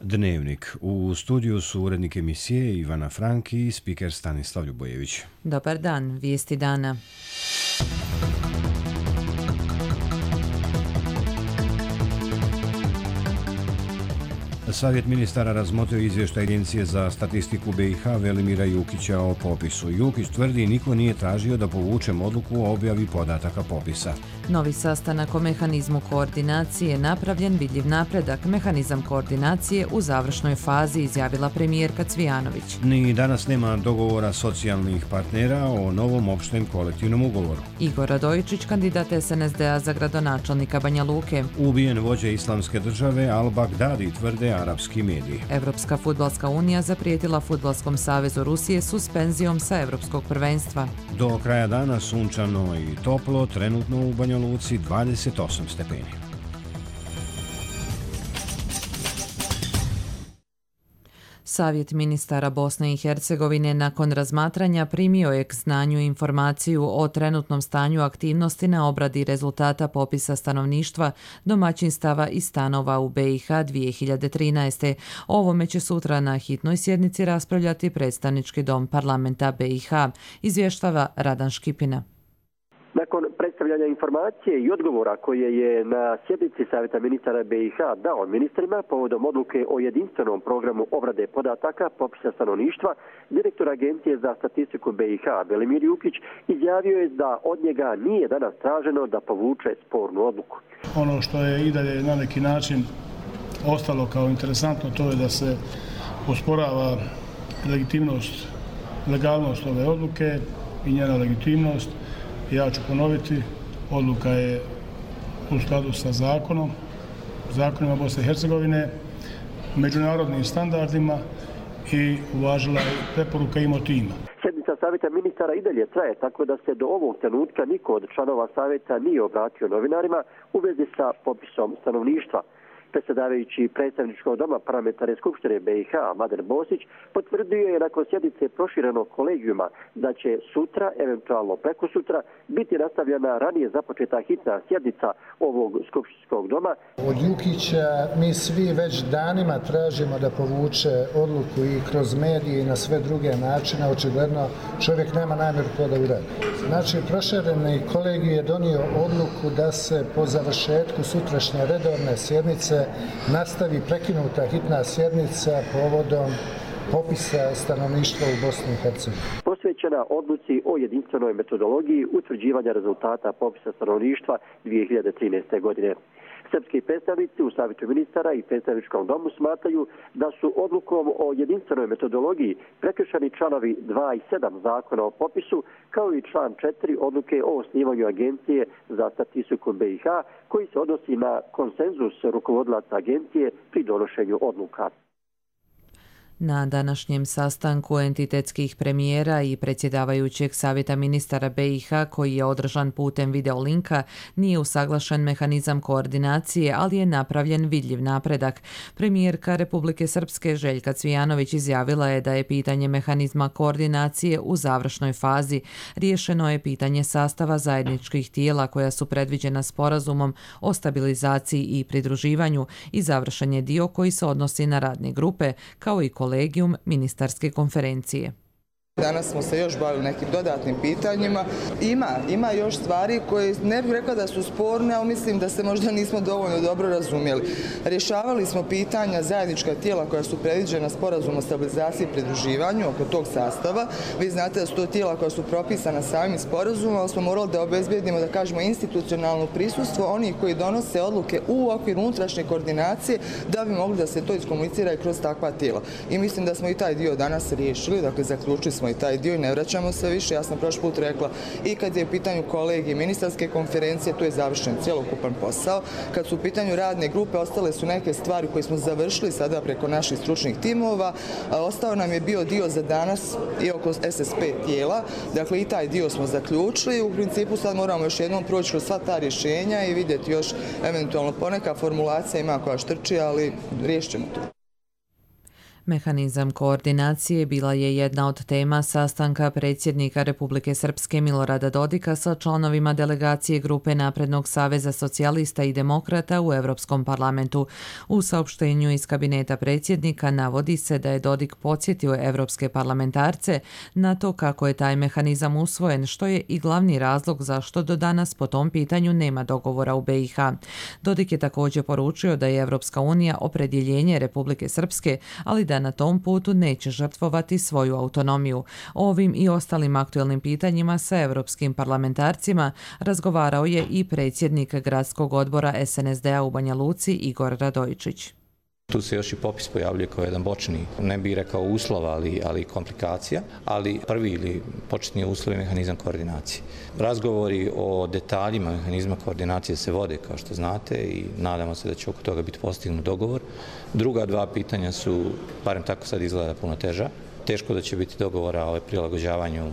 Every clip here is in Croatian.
Dnevnik. U studiju su urednik emisije Ivana Franki i spiker Stanislav Ljubojević. Dobar dan, vijesti dana. Savjet ministara razmotrio izvještaj Agencije za statistiku BiH Velimira Jukića o popisu. Jukić tvrdi niko nije tražio da povučem odluku o objavi podataka popisa. Novi sastanak o mehanizmu koordinacije napravljen vidljiv napredak. Mehanizam koordinacije u završnoj fazi, izjavila premijerka Cvijanović. Ni danas nema dogovora socijalnih partnera o novom opštem kolektivnom ugovoru. Igor Radojičić, kandidat SNSD-a za gradonačelnika Banja Luke. Ubijen vođa Islamske države Al-Baghdadi, tvrde arapski mediji. Evropska fudbalska unija zaprijetila Fudbalskom savezu Rusije suspenzijom sa evropskog prvenstva. Do kraja dana sunčano i toplo, trenutno u Banja Luci 28 stepeni. Savjet ministara Bosne i Hercegovine nakon razmatranja primio je k znanju informaciju o trenutnom stanju aktivnosti na obradi rezultata popisa stanovništva, domaćinstava i stanova u BiH 2013. O ovome će sutra na hitnoj sjednici raspravljati predstavnički dom parlamenta BiH, izvještava Radan Škipina. Nakon predstavljanja informacije i odgovora koje je na sjednici Savjeta ministara BiH dao ministrima povodom odluke o jedinstvenom programu obrade podataka popisa stanovništva, direktor Agencije za statistiku BiH Velimir Jukić izjavio je da od njega nije danas traženo da povuče spornu odluku. Ono što je i dalje na neki način ostalo kao interesantno, to je da se osporava legalnost ove odluke i njena legitimnost. Ja ću ponoviti, odluka je u skladu sa zakonima Bosne i Hercegovine, međunarodnim standardima i uvažila je preporuka i motiva. Sjednica Savjeta ministara i dalje traje, tako da se do ovog trenutka niko od članova Savjeta nije obratio novinarima u vezi sa popisom stanovništva. Predsjedavajući predstavničkog doma parlamentarne skupštine BiH Mladen Bosić potvrdio je nakon sjednice proširenog kolegijuma da će sutra, eventualno prekosutra, biti nastavljena ranije započeta hitna sjednica ovog skupštinskog doma. Od Jukića mi svi već danima tražimo da povuče odluku i kroz medije i na sve druge načine. Očigledno čovjek nema namjeru to da uradi. Znači, prošireni kolegij je donio odluku da se po završetku sutrašnje redovne sjednice nastavi prekinuta hitna sjednica povodom popisa stanovništva u Bosni i Hercegovini. Posvećena odluci o jedinstvenoj metodologiji utvrđivanja rezultata popisa stanovništva 2013. godine. Srpski predstavnici u Savjetu ministara i predstavničkom domu smatraju da su odlukom o jedinstvenoj metodologiji prekršeni članovi 2 i 7 zakona o popisu, kao i član 4 odluke o osnivanju Agencije za statistiku BiH, koji se odnosi na konsenzus rukovodilaca agencije pri donošenju odluka. Na današnjem sastanku entitetskih premijera i predsjedavajućeg Savjeta ministara BiH, koji je održan putem videolinka, nije usaglašen mehanizam koordinacije, ali je napravljen vidljiv napredak. Premijerka Republike Srpske Željka Cvijanović izjavila je da je pitanje mehanizma koordinacije u završnoj fazi. Riješeno je pitanje sastava zajedničkih tijela koja su predviđena sporazumom o stabilizaciji i pridruživanju i završen je dio koji se odnosi na radne grupe, kao i kolegijum ministarske konferencije. Danas smo se još bavili nekim dodatnim pitanjima. Ima još stvari koje ne bih rekla da su sporne, ali mislim da se možda nismo dovoljno dobro razumjeli. Rješavali smo pitanja zajednička tijela koja su predviđena sporazumom o stabilizaciji i pridruživanju oko tog sastava. Vi znate da su to tijela koja su propisana samim sporazumom, ali smo morali da obezbijedimo, da kažemo, institucionalno prisustvo onih koji donose odluke u okviru unutrašnje koordinacije da bi mogli da se to iskomunicira i kroz takva tijela. I mislim da smo i taj dio danas riješili, dakle zaključili smo i taj dio i ne vraćamo se više. Ja sam prošli put rekla i kad je u pitanju kolegije ministarske konferencije, tu je završen cjelokupan posao. Kad su u pitanju radne grupe, ostale su neke stvari koje smo završili sada preko naših stručnih timova. Ostao nam je bio dio za danas i oko SSP tijela. Dakle, i taj dio smo zaključili. U principu sad moramo još jednom proći kroz sva ta rješenja i vidjeti još eventualno poneka formulacija ima koja štrči, ali riješit ćemo to. Mehanizam koordinacije bila je jedna od tema sastanka predsjednika Republike Srpske Milorada Dodika sa članovima delegacije grupe Naprednog saveza socijalista i demokrata u Europskom parlamentu. U saopštenju iz kabineta predsjednika navodi se da je Dodik podsjetio evropske parlamentarce na to kako je taj mehanizam usvojen, što je i glavni razlog zašto do danas po tom pitanju nema dogovora u BiH. Dodik je također poručio da je Evropska unija opredjeljenje Republike Srpske, ali da na tom putu neće žrtvovati svoju autonomiju. O ovim i ostalim aktuelnim pitanjima sa evropskim parlamentarcima razgovarao je i predsjednik gradskog odbora SNSD-a u Banja Luci Igor Radojičić. Tu se još i popis pojavljuje kao jedan bočni, ne bih rekao uslov, ali komplikacija, ali prvi ili početni uslov je mehanizam koordinacije. Razgovori o detaljima mehanizma koordinacije se vode, kao što znate, i nadamo se da će oko toga biti postignut dogovor. Druga dva pitanja su, barem tako sad izgleda, puno teža. Teško da će biti dogovora o prilagođavanju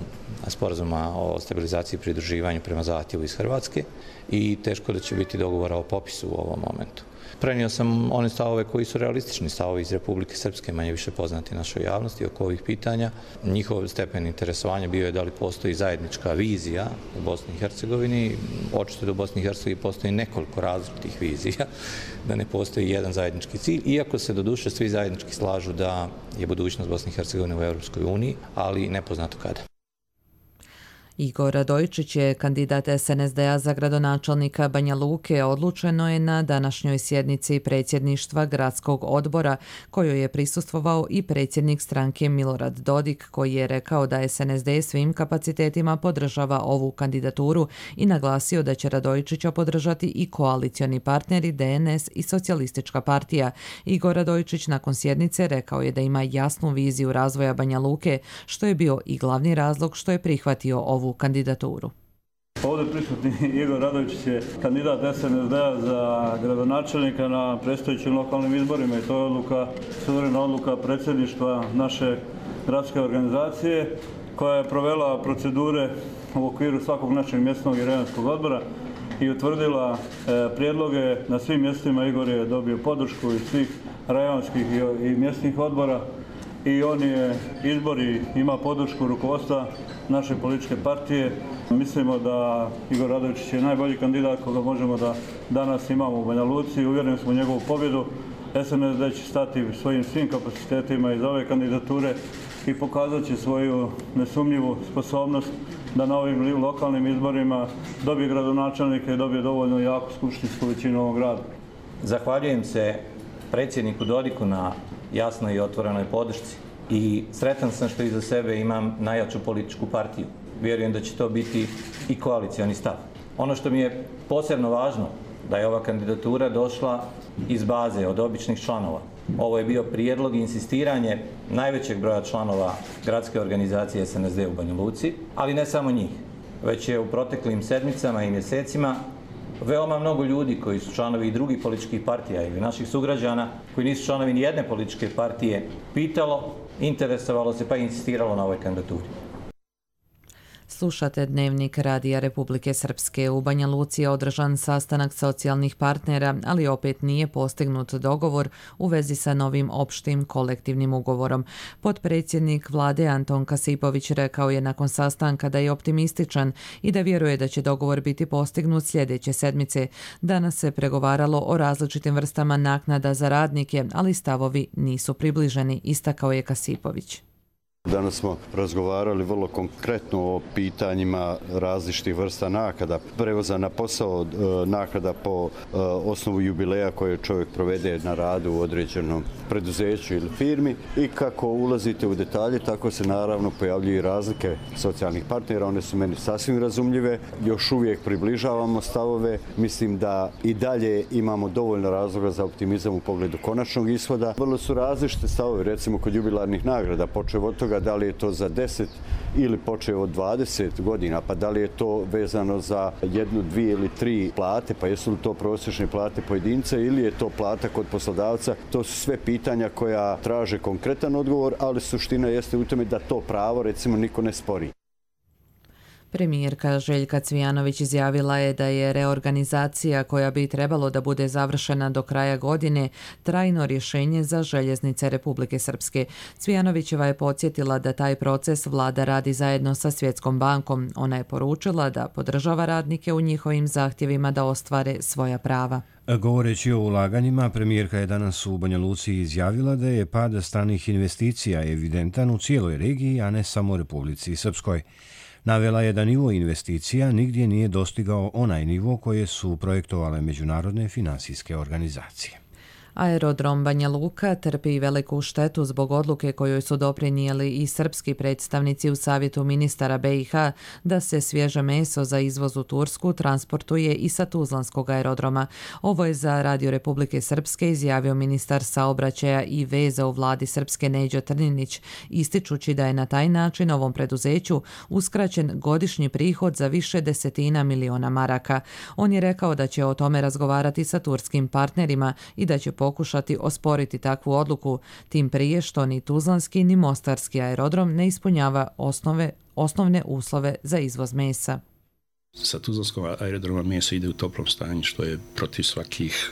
sporazuma o stabilizaciji i pridruživanju prema zahtjevu iz Hrvatske i teško da će biti dogovora o popisu u ovom momentu. Prenio sam one stavove koji su realistični stavovi iz Republike Srpske, manje više poznati našoj javnosti oko ovih pitanja. Njihov stepen interesovanja bio je da li postoji zajednička vizija u Bosni i Hercegovini. Očito da u Bosni i Hercegovini postoji nekoliko različitih vizija, da ne postoji jedan zajednički cilj, iako se doduše svi zajednički slažu da je budućnost Bosne i Hercegovine u Europskoj uniji, ali nepoznato kada. Igor Radojičić je kandidat SNSD-a za gradonačelnika Banja Luke. Odlučeno je na današnjoj sjednici predsjedništva gradskog odbora, kojoj je prisustvovao i predsjednik stranke Milorad Dodik, koji je rekao da SNSD svim kapacitetima podržava ovu kandidaturu i naglasio da će Radojičića podržati i koalicioni partneri DNS i Socijalistička partija. Igor Radojičić nakon sjednice rekao je da ima jasnu viziju razvoja Banja Luke, što je bio i glavni razlog što je prihvatio ovu kandidaturu. Ovdje prisutni Igor Radojičić je kandidat SNSD-a za gradonačelnika na predstojećim lokalnim izborima i to je odluka, suverena odluka predsjedništva naše gradske organizacije koja je provela procedure u okviru svakog našeg mjesnog i rajonskog odbora i utvrdila prijedloge na svim mjestima. Igor je dobio podršku iz svih rajonskih i mjesnih odbora i on je izbori, ima podršku rukovodstva naše političke partije. Mislimo da Igor Radojičić je najbolji kandidat koga možemo da danas imamo u Banja Luci. Uvjereni smo u njegovu pobjedu. SNSD će stati svojim svim kapacitetima iz ove kandidature i pokazat će svoju nesumnjivu sposobnost da na ovim lokalnim izborima dobije gradonačelnika i dobije dovoljno jaku skupštinsku većinu ovog grada. Zahvaljujem se predsjedniku Dodiku na jasnoj i otvorenoj podršci i sretan sam što iza sebe imam najjaču političku partiju. Vjerujem da će to biti i koalicioni stav. Ono što mi je posebno važno da je ova kandidatura došla iz baze od običnih članova. Ovo je bio prijedlog i insistiranje najvećeg broja članova gradske organizacije SNSD u Banja Luci, ali ne samo njih, već je u proteklim sedmicama i mjesecima veoma mnogo ljudi koji su članovi i drugih političkih partija ili naših sugrađana koji nisu članovi ni jedne političke partije pitalo, interesovalo se pa i insistiralo na ovoj kandidaturi. Slušate Dnevnik Radija Republike Srpske. U Banja Luci je održan sastanak socijalnih partnera, ali opet nije postignut dogovor u vezi sa novim opštim kolektivnim ugovorom. Potpredsjednik vlade Anton Kasipović rekao je nakon sastanka da je optimističan i da vjeruje da će dogovor biti postignut sljedeće sedmice. Danas se pregovaralo o različitim vrstama naknada za radnike, ali stavovi nisu približeni, istakao je Kasipović. Danas smo razgovarali vrlo konkretno o pitanjima različitih vrsta naknada, prevoza na posao, naknada po osnovu jubileja koje čovjek provede na radu u određenom preduzeću ili firmi i kako ulazite u detalje, tako se naravno pojavljuju i razlike socijalnih partnera, one su meni sasvim razumljive, još uvijek približavamo stavove, mislim da i dalje imamo dovoljno razloga za optimizam u pogledu konačnog ishoda. Vrlo su različite stavove, recimo kod jubilarnih nagrada, počev od toga da li je to za 10 ili počeo od 20 godina, pa da li je to vezano za 1, 2 ili 3 plate, pa jesu li to prosječne plate pojedinca ili je to plata kod poslodavca. To su sve pitanja koja traže konkretan odgovor, ali suština jeste u tome da to pravo recimo niko ne spori. Premijerka Željka Cvijanović izjavila je da je reorganizacija koja bi trebalo da bude završena do kraja godine trajno rješenje za željeznice Republike Srpske. Cvijanovićeva je podsjetila da taj proces vlada radi zajedno sa Svjetskom bankom. Ona je poručila da podržava radnike u njihovim zahtjevima da ostvare svoja prava. Govoreći o ulaganjima, premijerka je danas u Banja Luci izjavila da je pad stranih investicija evidentan u cijeloj regiji, a ne samo Republici Srpskoj. Navela je da nivo investicija nigdje nije dostigao onaj nivo koje su projektovale međunarodne finansijske organizacije. Aerodrom Banja Luka trpi veliku štetu zbog odluke kojoj su doprinijeli i srpski predstavnici u Savjetu ministara BiH da se svježe meso za izvoz u Tursku transportuje i sa Tuzlanskog aerodroma. Ovo je za Radio Republike Srpske izjavio ministar saobraćaja i veza u vladi Srpske Neđo Trninić, ističući da je na taj način ovom preduzeću uskraćen godišnji prihod za više desetina miliona maraka. On je rekao da će o tome razgovarati sa turskim partnerima i da će pokušati osporiti takvu odluku, tim prije što ni Tuzlanski ni Mostarski aerodrom ne ispunjava osnovne uslove za izvoz mesa. Sa Tuzlanskog aerodroma meso ide u toplom stanju, što je protiv svakih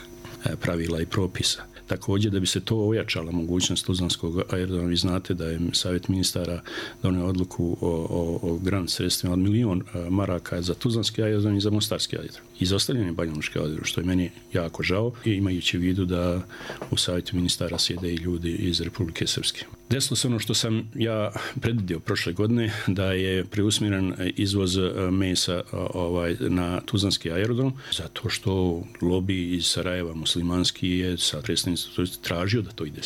pravila i propisa. Također, da bi se to ojačala mogućnost Tuzlanskog aerodroma, vi znate da je Savjet ministara donio odluku o grant sredstvima od 1 milion maraka za Tuzlanski aerodrom i za Mostarski aerodrom. Izostavljen je Banja Lučki aerodrom, što je meni jako žao, i imajući u vidu da u Savjetu ministara sjede i ljudi iz Republike Srpske. Desilo se ono što sam ja predvidio prošle godine, da je preusmjeren izvoz mesa na Tuzlanski aerodrom, zato što lobi iz Sarajeva muslimanski je sa predstavnicom tražio da to ide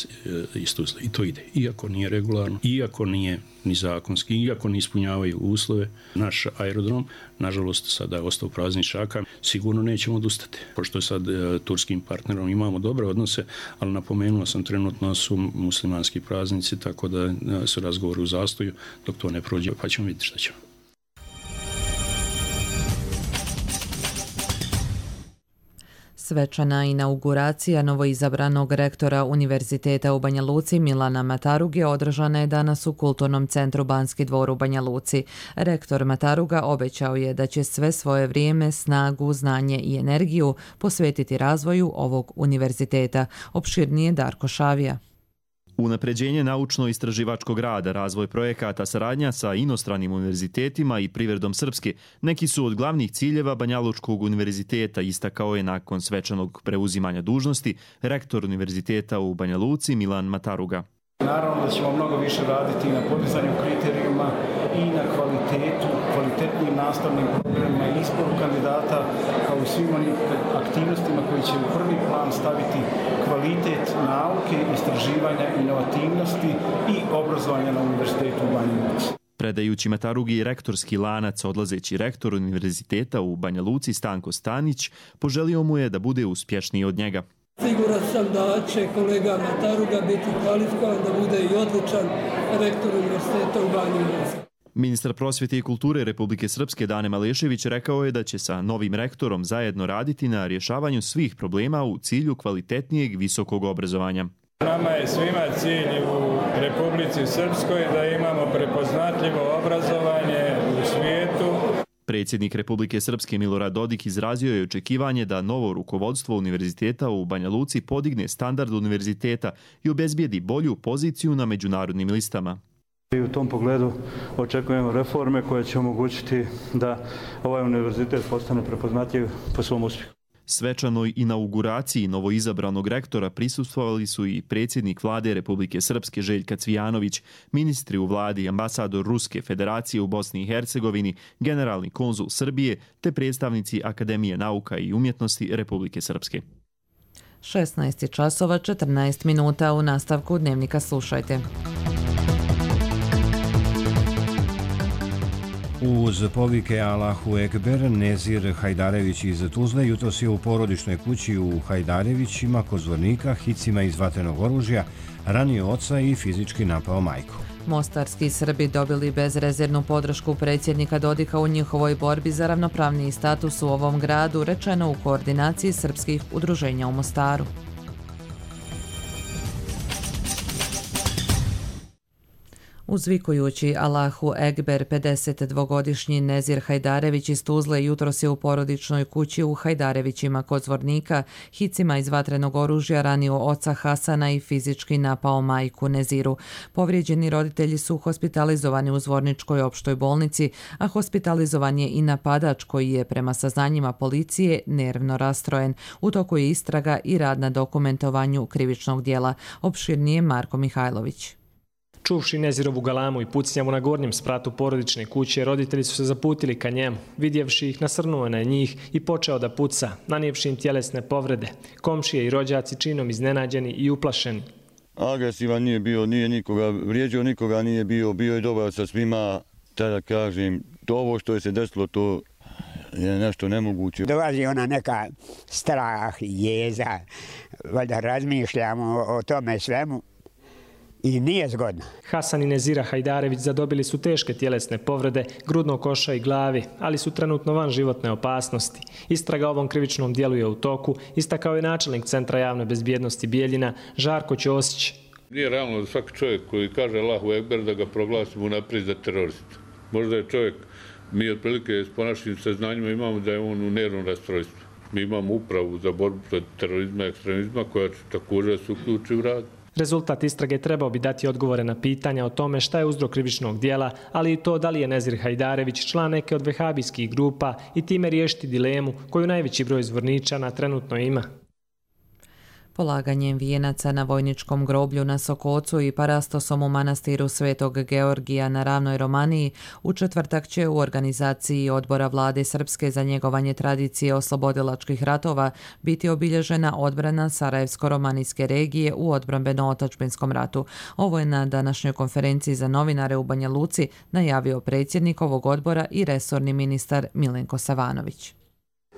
iz Tuzle. I to ide. Iako nije regularno, iako nije ni zakonski, iako ne ispunjavaju uslove, naš aerodrom, nažalost, sada je ostao prazni šaka, sigurno nećemo odustati. Pošto sad turskim partnerom imamo dobre odnose, ali napomenuo sam, trenutno su muslimanski praznici, tako da su razgovori u zastoju, dok to ne prođe, pa ćemo vidjeti šta ćemo. Svečana inauguracija novoizabranog rektora Univerziteta u Banja Luci Milana Mataruge održana je danas u Kulturnom centru Banski dvor u Banja Luci. Rektor Mataruga obećao je da će sve svoje vrijeme, snagu, znanje i energiju posvetiti razvoju ovog univerziteta. Opširnije Darko Šavija. Unapređenje naučno-istraživačkog rada, razvoj projekata, saradnja sa inostranim univerzitetima i privredom Srpske neki su od glavnih ciljeva Banja Lučkog univerziteta, istakao je nakon svečanog preuzimanja dužnosti rektor univerziteta u Banja Luci Milan Mataruga. Naravno da ćemo mnogo više raditi na podizanju kriterijuma i na kvalitetnim nastavnim programima i izboru kandidata, kao i svim onim aktivnostima koji će u prvi plan staviti kvalitet nauke, istraživanja, inovativnosti i obrazovanja na univerzitetu u Banja Luci. Predajući Matarugi rektorski lanac, odlazeći rektor univerziteta u Banja Luci Stanko Stanić poželio mu je da bude uspješniji od njega. Siguran sam da će kolega Mataruga biti kvalifikovan da bude i odličan rektor univerziteta u Banja Luci. Ministar prosvjete i kulture Republike Srpske Dane Malešević rekao je da će sa novim rektorom zajedno raditi na rješavanju svih problema u cilju kvalitetnijeg visokog obrazovanja. Nama je svima cilj u Republici Srpskoj da imamo prepoznatljivo obrazovanje u svijetu. Predsjednik Republike Srpske Milorad Dodik izrazio je očekivanje da novo rukovodstvo univerziteta u Banja Luci podigne standard univerziteta i obezbijedi bolju poziciju na međunarodnim listama. I u tom pogledu očekujemo reforme koje će omogućiti da ovaj univerzitet postane prepoznatljiv po svom uspjehu. Svečanoj inauguraciji novoizabranog rektora prisustvovali su i predsjednik vlade Republike Srpske Željka Cvijanović, ministri u vladi, ambasador Ruske federacije u Bosni i Hercegovini, generalni konzul Srbije te predstavnici Akademije nauka i umjetnosti Republike Srpske. 16 časova 14 minuta, u nastavku dnevnika slušajte. Uz povike Allahu Ekber, Nezir Hajdarević iz Tuzle jutros je u porodičnoj kući u Hajdarevićima kod Zvornika hicima iz vatrenog oružja ranio oca i fizički napao majku. Mostarski Srbi dobili bezrezervnu podršku predsjednika Dodika u njihovoj borbi za ravnopravniji status u ovom gradu, rečeno u koordinaciji srpskih udruženja u Mostaru. Uzvikujući Allahu Ekber, 52-godišnji Nezir Hajdarević iz Tuzle jutros je u porodičnoj kući u Hajdarevićima kod Zvornika hicima iz vatrenog oružja ranio oca Hasana i fizički napao majku Neziru. Povrijeđeni roditelji su hospitalizovani u Zvorničkoj opštoj bolnici, a hospitalizovan je i napadač koji je prema saznanjima policije nervno rastrojen. U toku je istraga i rad na dokumentovanju krivičnog dijela. Opširnije Marko Mihajlović. Čuvši Nezirovu galamu i pucnjavu na gornjem spratu porodične kuće, roditelji su se zaputili ka njemu. Vidjevši ih, nasrnuo na njih i počeo da puca, nanijevši im tjelesne povrede. Komšije i rođaci činom iznenađeni i uplašeni. Agresivan nije bio, nije nikoga vrijeđao, nikoga nije bio je dobar sa svima. Tada kažem, ovo što je se desilo, to je nešto nemoguće. Dolazi ona neka strah, jeza, valjda razmišljamo o tome svemu. I nije zgodno. Hasan i Nezira Hajdarević zadobili su teške tjelesne povrede, grudnog koša i glavi, ali su trenutno van životne opasnosti. Istraga ovom krivičnom dijelu je u toku, istakao je načelnik Centra javne bezbjednosti Bijeljina, Žarko Ćosić. Nije realno da svaki čovjek koji kaže Allahu Ekber da ga proglasimo naprijed za teroristu. Možda je čovjek, mi otprilike s ponašnim saznanjima imamo da je on u nervnom rastrojstvu. Mi imamo upravu za borbu protiv terorizma i ekstremizma koja će također se uključi u rad. Rezultat istrage trebao bi dati odgovore na pitanja o tome šta je uzrok krivičnog dijela, ali i to da li je Nezir Hajdarević član neke od vehabijskih grupa i time riješiti dilemu koju najveći broj Zvorničana trenutno ima. Polaganjem vijenaca na vojničkom groblju na Sokocu i parastosom u manastiru Svetog Georgija na Ravnoj Romaniji u četvrtak će u organizaciji Odbora Vlade Srpske za njegovanje tradicije oslobodilačkih ratova biti obilježena odbrana Sarajevsko-romanijske regije u odbrambeno-otačbinskom ratu. Ovo je na današnjoj konferenciji za novinare u Banja Luci najavio predsjednik ovog odbora i resorni ministar Milenko Savanović.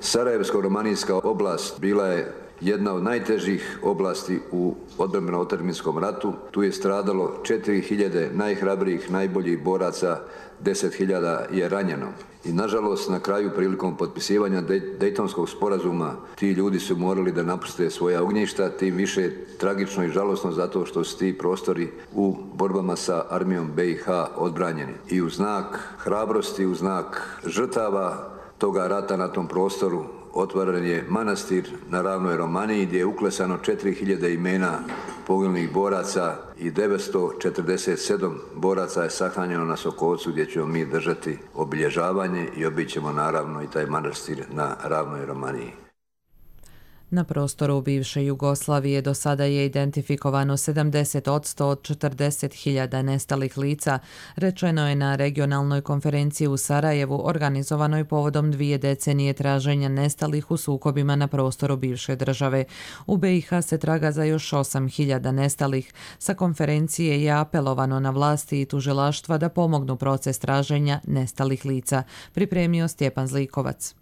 Sarajevsko-romanijska oblast bila je jedna od najtežih oblasti u odbrambeno-otačbinskom ratu. Tu je stradalo 4000 najhrabrijih, najboljih boraca, 10.000 je ranjeno. I nažalost, na kraju prilikom potpisivanja Dejtonskog sporazuma ti ljudi su morali da napuste svoja ognjišta, tim više tragično i žalosno zato što su ti prostori u borbama sa armijom BiH odbranjeni. I u znak hrabrosti, u znak žrtava toga rata na tom prostoru otvoren je manastir na Ravnoj Romaniji gdje je uklesano 4000 imena poginulih boraca i 947 boraca je sahranjeno na Sokovcu gdje ćemo mi držati obilježavanje i obićemo naravno i taj manastir na Ravnoj Romaniji. Na prostoru bivše Jugoslavije do sada je identifikovano 70% od 40.000 nestalih lica, rečeno je na regionalnoj konferenciji u Sarajevu organizovanoj povodom 2 decenije traženja nestalih u sukobima na prostoru bivše države. U BiH se traga za još 8.000 nestalih. Sa konferencije je apelovano na vlasti i tužilaštva da pomognu proces traženja nestalih lica, pripremio Stjepan Zlikovac.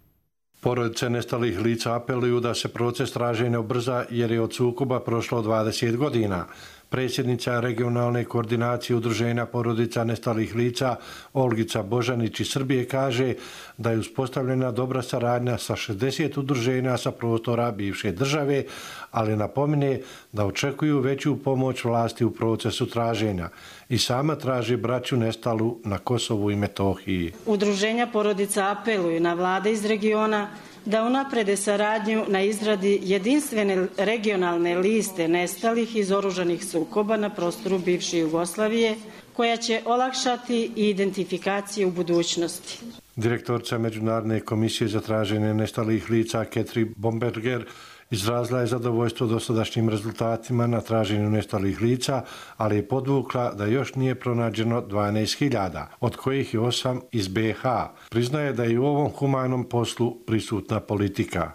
Porodice nestalih lica apeluju da se proces traženja ubrza jer je od sukoba prošlo 20 godina. Predsjednica regionalne koordinacije udruženja porodica nestalih lica Olgica Božanić iz Srbije kaže da je uspostavljena dobra saradnja sa 60 udruženja sa prostora bivše države, ali napomine da očekuju veću pomoć vlasti u procesu traženja i sama traži braću nestalu na Kosovu i Metohiji. Udruženja porodica apeluju na vlade iz regiona da unaprede saradnju na izradi jedinstvene regionalne liste nestalih iz oružanih sukoba na prostoru bivše Jugoslavije, koja će olakšati i identifikaciju u budućnosti. Direktorica Međunarodne komisije za traženje nestalih lica Ketri Bomberger izrazila je zadovoljstvo dosadašnjim rezultatima na traženju nestalih lica, ali je podvukla da još nije pronađeno 12.000, od kojih je 8 iz BiH. Priznaje da je u ovom humanom poslu prisutna politika.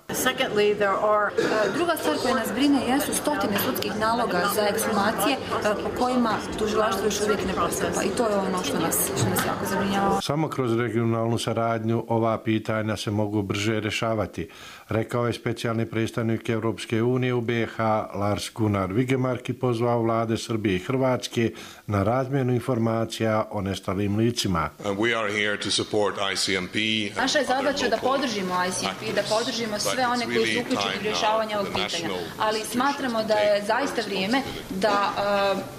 Druga stvar koja nas brine jesu stotine sudskih naloga za ekshumacije po kojima tužilaštvo još uvijek ne postupa i to je ono što nas jako zabrinjava. Samo kroz regionalnu saradnju ova pitanja se mogu brže rješavati, rekao je specijalni predstavnik predstavnik Europske unije u BiH Lars Gunnar Vigemark pozvao vlade Srbije i Hrvatske na razmjenu informacija o nestalim licima. Naša je zadaća da podržimo ICMP, da podržimo sve one koji su uključeni u rješavanje ovog pitanja, ali smatramo da je zaista vrijeme da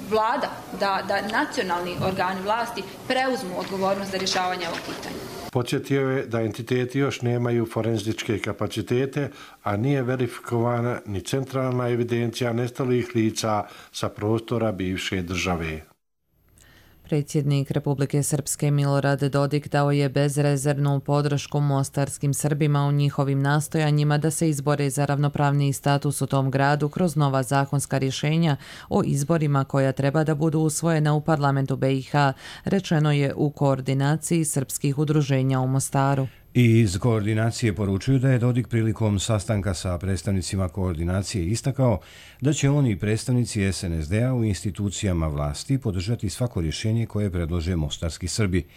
vlada, da nacionalni organi vlasti preuzmu odgovornost za rješavanje ovog pitanja. Podsjetio je da entiteti još nemaju forenzičke kapacitete, a nije verifikovana ni centralna evidencija nestalih lica sa prostora bivše države. Predsjednik Republike Srpske Milorad Dodik dao je bezrezervnu podršku mostarskim Srbima u njihovim nastojanjima da se izbore za ravnopravniji status u tom gradu kroz nova zakonska rješenja o izborima koja treba da budu usvojena u parlamentu BiH, rečeno je u koordinaciji srpskih udruženja u Mostaru. I iz koordinacije poručuju da je Dodik prilikom sastanka sa predstavnicima koordinacije istakao da će oni predstavnici SNSD-a u institucijama vlasti podržati svako rješenje koje predlože mostarski Srbi.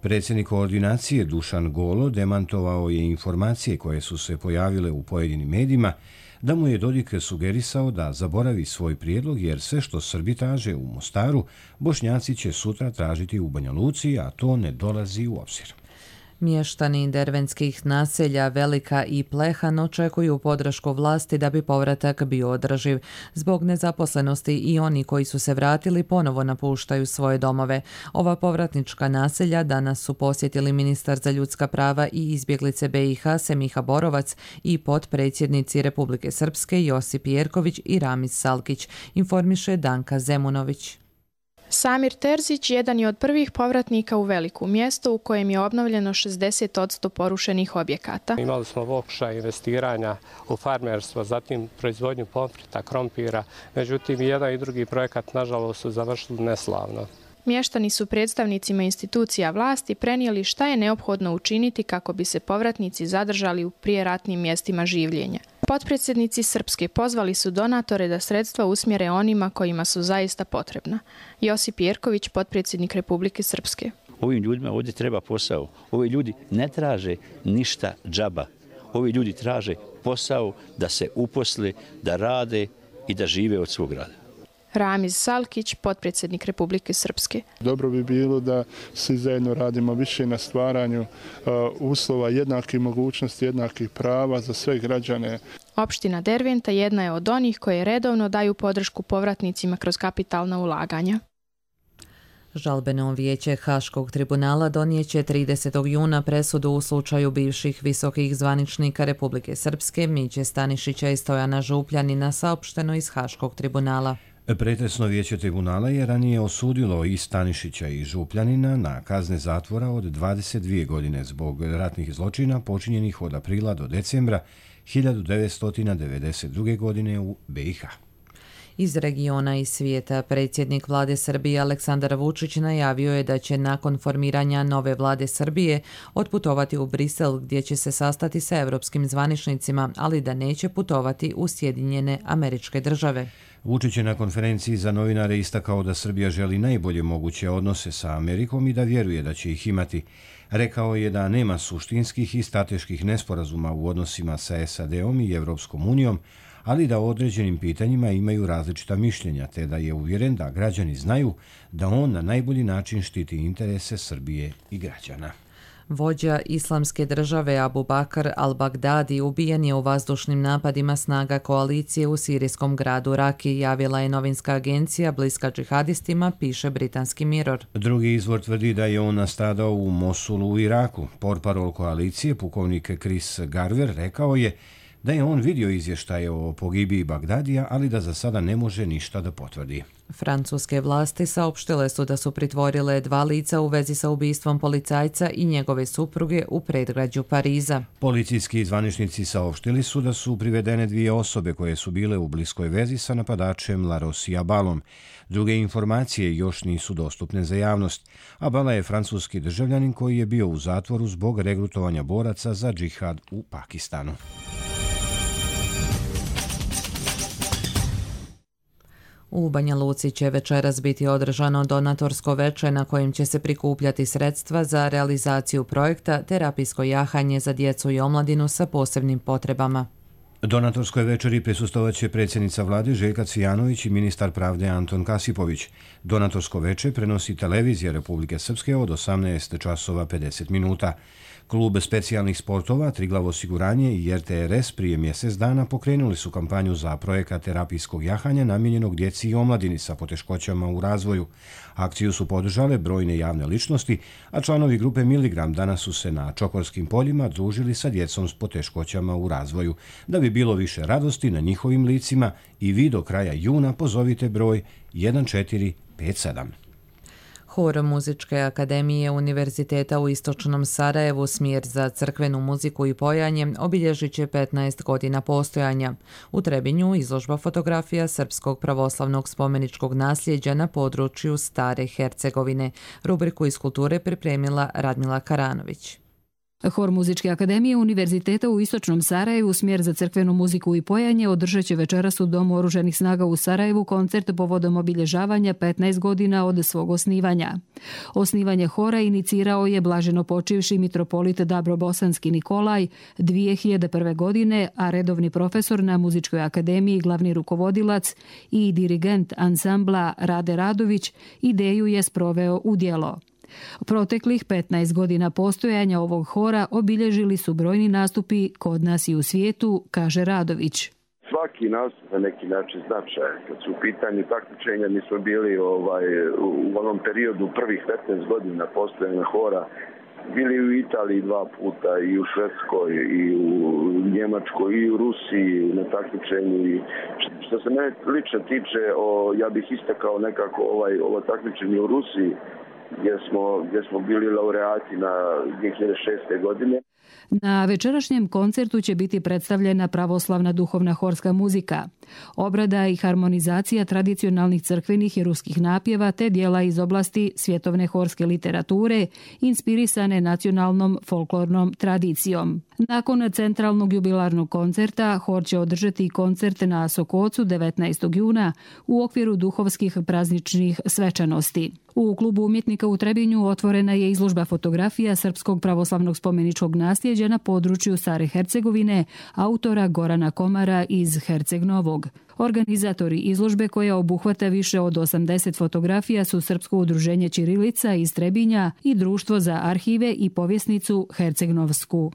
Predsjednik koordinacije Dušan Golo demantovao je informacije koje su se pojavile u pojedinim medijima da mu je Dodik sugerisao da zaboravi svoj prijedlog jer sve što Srbi traže u Mostaru, Bošnjaci će sutra tražiti u Banja Luci, a to ne dolazi u obzir. Mještani dervenskih naselja Velika i Plehan očekuju podršku vlasti da bi povratak bio održiv. Zbog nezaposlenosti i oni koji su se vratili ponovo napuštaju svoje domove. Ova povratnička naselja danas su posjetili ministar za ljudska prava i izbjeglice BiH Semiha Borovac i potpredsjednici Republike Srpske Josip Jerković i Ramiz Salkić, informiše Danka Zemunović. Samir Terzić jedan je od prvih povratnika u Veliku, mjesto u kojem je obnovljeno 60% porušenih objekata. Imali smo pokušaj investiranja u farmerstvo, zatim proizvodnju pomfrita, krompira, međutim i jedan i drugi projekat nažalost su završili neslavno. Mještani su predstavnicima institucija vlasti prenijeli šta je neophodno učiniti kako bi se povratnici zadržali u prijeratnim mjestima življenja. Potpredsjednici Srpske pozvali su donatore da sredstva usmjere onima kojima su zaista potrebna. Josip Jerković, potpredsjednik Republike Srpske. Ovim ljudima ovdje treba posao. Ovi ljudi ne traže ništa džaba. Ovi ljudi traže posao da se uposle, da rade i da žive od svog rada. Ramiz Salkić, potpredsjednik Republike Srpske. Dobro bi bilo da svi zajedno radimo više na stvaranju uslova jednakih mogućnosti, jednakih prava za sve građane. Opština Derventa jedna je od onih koje redovno daju podršku povratnicima kroz kapitalna ulaganja. Žalbeno vijeće Haškog tribunala donijeće 30. juna presudu u slučaju bivših visokih zvaničnika Republike Srpske Miće Stanišića i Stojana Župljanina, saopšteno iz Haškog tribunala. Pretresno vijeće tribunala je ranije osudilo i Stanišića i Župljanina na kazne zatvora od 22 godine zbog ratnih zločina počinjenih od aprila do decembra 1992. godine u BiH. Iz regiona i svijeta predsjednik vlade Srbije Aleksandar Vučić najavio je da će nakon formiranja nove vlade Srbije otputovati u Brisel gdje će se sastati sa europskim zvaničnicima, ali da neće putovati u Sjedinjene Američke Države. Vučić je na konferenciji za novinare istakao da Srbija želi najbolje moguće odnose sa Amerikom i da vjeruje da će ih imati. Rekao je da nema suštinskih i strateških nesporazuma u odnosima sa SAD-om i Evropskom unijom, ali da o određenim pitanjima imaju različita mišljenja, te da je uvjeren da građani znaju da on na najbolji način štiti interese Srbije i građana. Vođa Islamske države Abu Bakr al-Baghdadi ubijen je u vazdušnim napadima snaga koalicije u sirijskom gradu Raki, javila je novinska agencija bliska džihadistima, piše britanski Mirror. Drugi izvor tvrdi da je on nastradao u Mosulu u Iraku. Portparol koalicije, pukovnik Chris Garver, rekao je da je on vidio izvještaje o pogibiji Bagdadija, ali da za sada ne može ništa da potvrdi. Francuske vlasti saopštile su da su pritvorile 2 lica u vezi sa ubistvom policajca i njegove supruge u predgrađu Pariza. Policijski zvaničnici saopštili su da su privedene 2 osobe koje su bile u bliskoj vezi sa napadačem Larosi Abalom. Druge informacije još nisu dostupne za javnost. Abala je francuski državljanin koji je bio u zatvoru zbog regrutovanja boraca za džihad u Pakistanu. U Banja Luci će večeras biti održano donatorsko veče na kojem će se prikupljati sredstva za realizaciju projekta Terapijsko jahanje za djecu i omladinu sa posebnim potrebama. Donatorskoj večeri prisustvovaće predsjednica vlade Željka Cvijanović i ministar pravde Anton Kasipović. Donatorsko veče prenosi televizija Republike Srpske od 18 časova 50 minuta. Klub specijalnih sportova, Triglav osiguranje i RTRS prije mjesec dana pokrenuli su kampanju za projekat terapijskog jahanja namijenjenog djeci i omladini sa poteškoćama u razvoju. Akciju su podržale brojne javne ličnosti, a članovi grupe Miligram danas su se na Čokorskim poljima družili sa djecom s poteškoćama u razvoju. Da bi bilo više radosti na njihovim licima i vi do kraja juna pozovite broj 1457. Hor Muzičke akademije Univerziteta u Istočnom Sarajevu, smjer za crkvenu muziku i pojanje, obilježit će 15 godina postojanja. U Trebinju izložba fotografija srpskog pravoslavnog spomeničkog nasljeđa na području Stare Hercegovine. Rubriku iz kulture pripremila Radmila Karanović. Hor Muzičke akademije Univerziteta u Istočnom Sarajevu, smjer za crkvenu muziku i pojanje, održat će večeras u Domu oružanih snaga u Sarajevu koncert povodom obilježavanja 15 godina od svog osnivanja. Osnivanje hora inicirao je blaženopočivši mitropolit Dabrobosanski Nikolaj 2001. godine, a redovni profesor na Muzičkoj akademiji, glavni rukovodilac i dirigent ansambla Rade Radović ideju je sproveo u djelo. Proteklih 15 godina postojanja ovog hora obilježili su brojni nastupi kod nas i u svijetu, kaže Radović. Svaki nastup na neki način značajan. Kad su u pitanju takmičenja, mi smo bili u onom periodu prvih 15 godina postojanja hora, bili u Italiji 2 puta, i u Švedskoj, i u Njemačkoj, i u Rusiji na takmičenju. Što se mene lično tiče, ja bih istakao nekako ovo takmičenje u Rusiji, gdje smo bili laureati na 2006. godine. Na večerašnjem koncertu će biti predstavljena pravoslavna duhovna horska muzika, obrada i harmonizacija tradicionalnih crkvenih i ruskih napjeva te dijela iz oblasti svjetovne horske literature, inspirisane nacionalnom folklornom tradicijom. Nakon centralnog jubilarnog koncerta, hor će održati koncert na Sokocu 19. juna u okviru duhovskih prazničnih svečanosti. U klubu umjetnika u Trebinju otvorena je izložba fotografija srpskog pravoslavnog spomeničkog nasljeđa na području Stare Hercegovine autora Gorana Komara iz Herceg Novog. Organizatori izložbe, koja obuhvata više od 80 fotografija, su Srpsko udruženje Ćirilica iz Trebinja i Društvo za arhive i povjesnicu Herceg-Novsku.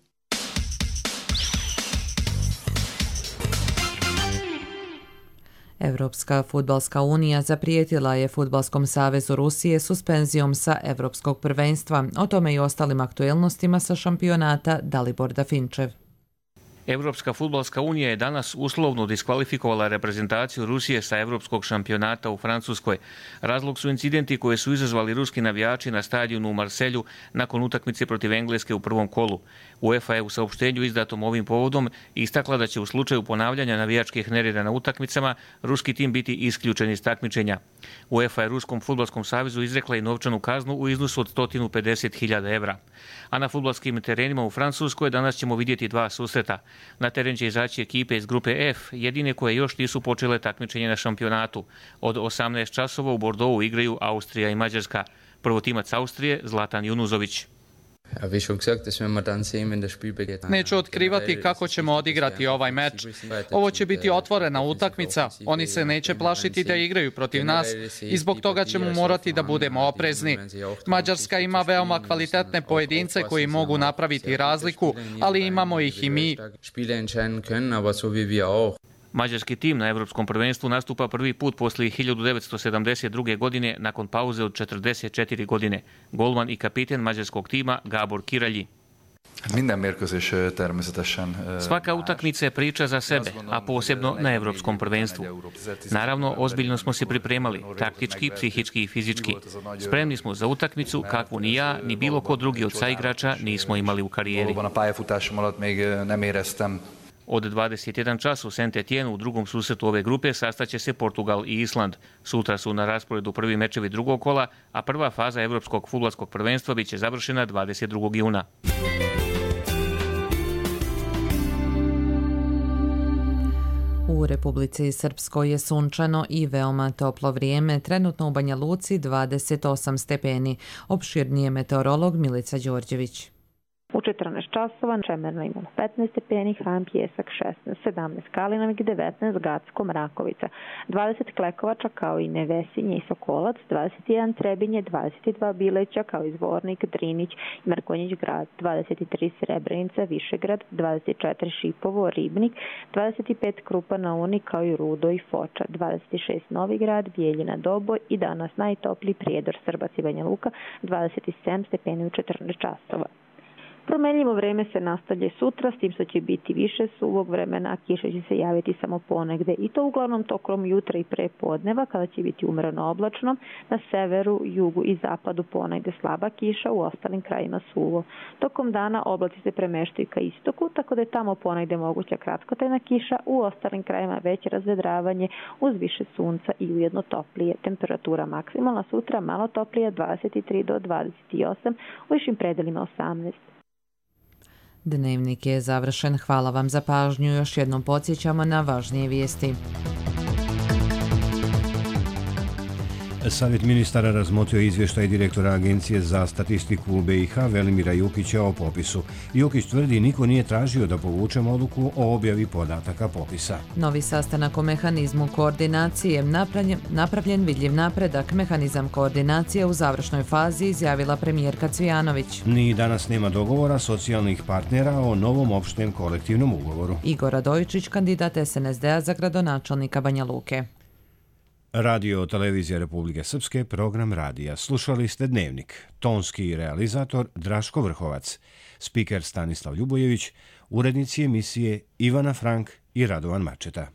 Europska fudbalska unija zaprijetila je Fudbalskom savezu Rusije suspenzijom sa Europskog prvenstva. O tome i ostalim aktuelnostima sa šampionata Dalibor Dafinčev. Europska fudbalska unija je danas uslovno diskvalifikovala reprezentaciju Rusije sa Europskog šampionata u Francuskoj. Razlog su incidenti koje su izazvali ruski navijači na stadionu u Marselju nakon utakmice protiv Engleske u prvom kolu. UEFA je u saopštenju izdatom ovim povodom istakla da će u slučaju ponavljanja navijačkih nereda na utakmicama ruski tim biti isključen iz takmičenja. UEFA je Ruskom fudbalskom savezu izrekla i novčanu kaznu u iznosu od 150.000 evra. A na fudbalskim terenima u Francuskoj danas ćemo vidjeti 2 susreta. Na teren će izaći ekipe iz grupe F, jedine koje još nisu počele takmičenje na šampionatu. Od 18 časova u Bordeauxu igraju Austrija i Mađarska. Prvotimac Austrije Zlatan Junuzović. Neću otkrivati kako ćemo odigrati ovaj meč. Ovo će biti otvorena utakmica. Oni se neće plašiti da igraju protiv nas i zbog toga ćemo morati da budemo oprezni. Mađarska ima veoma kvalitetne pojedince koji mogu napraviti razliku, ali imamo ih i mi. Mađarski tim na Evropskom prvenstvu nastupa prvi put poslije 1972. godine nakon pauze od 44 godine. Golman i kapiten mađarskog tima Gabor Kiralji. Svaka utakmica je priča za sebe, a posebno na Evropskom prvenstvu. Naravno, ozbiljno smo se pripremali, taktički, psihički i fizički. Spremni smo za utakmicu kakvu ni ja, ni bilo ko drugi od saigrača nismo imali u karijeri. Od 21 čas u Saint-Étienne u drugom susretu ove grupe sastaće se Portugal i Island. Sutra su na rasporedu prvi mečevi drugog kola, a prva faza Evropskog fudbalskog prvenstva biće završena 22. juna. U Republici Srpskoj je sunčano i veoma toplo vrijeme, trenutno u Banja Luci 28 stepeni. Opširnije meteorolog Milica Đorđević. U 14 časova Čemerno imamo 15 stepeni, Hram Pjesak 16, 17 Kalinovik, 19 Gacko Mrakovica, 20 Klekovača kao i Nevesinje i Sokolac, 21 Trebinje, 22 Bileća kao i Zvornik, Drinić i Mrkonjić grad, 23 Srebrenica, Višegrad, 24 Šipovo, Ribnik, 25 Krupa na Uni kao i Rudo i Foča, 26 Novi Grad, Bijeljina, Doboj i danas najtopliji Prijedor, Srbac i Banja Luka, 27 stepeni u 14 časova. Promenljivo vreme se nastavlja sutra, s tim što će biti više suvog vremena, a kiša će se javiti samo ponegde i to uglavnom tokom jutra i prepodneva kada će biti umjereno oblačno, na severu, jugu i zapadu ponegde slaba kiša, u ostalim krajima suvo. Tokom dana oblaci se premeštaju ka istoku, tako da je tamo ponegde moguća kratkotrajna kiša, u ostalim krajima veće razvedravanje uz više sunca i ujedno toplije. Temperatura maksimalna sutra malo toplije 23 do 28, u višim predelima 18. Dnevnik je završen. Hvala vam za pažnju. Još jednom podsjećamo na važnije vijesti. Savjet ministara razmotrio izvještaj direktora Agencije za statistiku u BiH Velimira Jukića o popisu. Jukić tvrdi niko nije tražio da povučemo odluku o objavi podataka popisa. Novi sastanak o mehanizmu koordinacije, napravljen vidljiv napredak, mehanizam koordinacije u završnoj fazi, izjavila premijerka Cvijanović. Ni danas nema dogovora socijalnih partnera o novom opštem kolektivnom ugovoru. Igor Radojičić, kandidat SNSD-a za gradonačelnika Banja Luke. Radio Televizija Republike Srpske, program radija. Slušali ste Dnevnik. Tonski realizator Draško Vrhovac. Spiker Stanislav Ljubojević. Urednici emisije Ivana Frank i Radovan Mačeta.